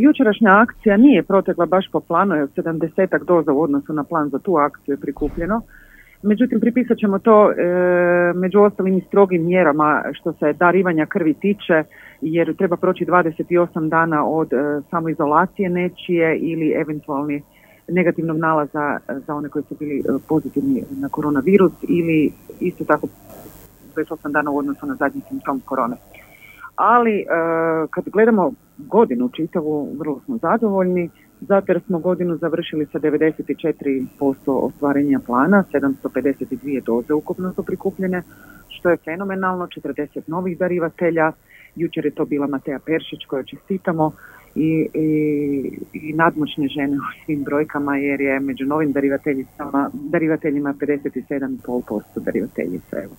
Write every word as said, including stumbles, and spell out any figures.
Jučerašnja akcija nije protekla baš po planu, jer sedamdesetak doza u odnosu na plan za tu akciju je prikupljeno. Međutim, pripisat ćemo to e, među ostalim i strogim mjerama što se darivanja krvi tiče, jer treba proći dvadeset osam dana od e, samoizolacije nečije ili eventualni negativnog nalaza za one koji su bili pozitivni na koronavirus ili isto tako dvadeset osam dana u odnosu na zadnji simptom korone. Ali e, kad gledamo godinu čitavu, vrlo smo zadovoljni, zato jer smo godinu završili sa devedeset četiri posto ostvarenja plana, sedamsto pedeset dvije doze ukupno su prikupljene, što je fenomenalno, četrdeset novih darivatelja, jučer je to bila Mateja Peršić kojoj čestitamo i, i, i nadmoćne žene u svim brojkama, jer je među novim darivateljima, darivateljima pedeset sedam zarez pet posto darivateljica. Evo.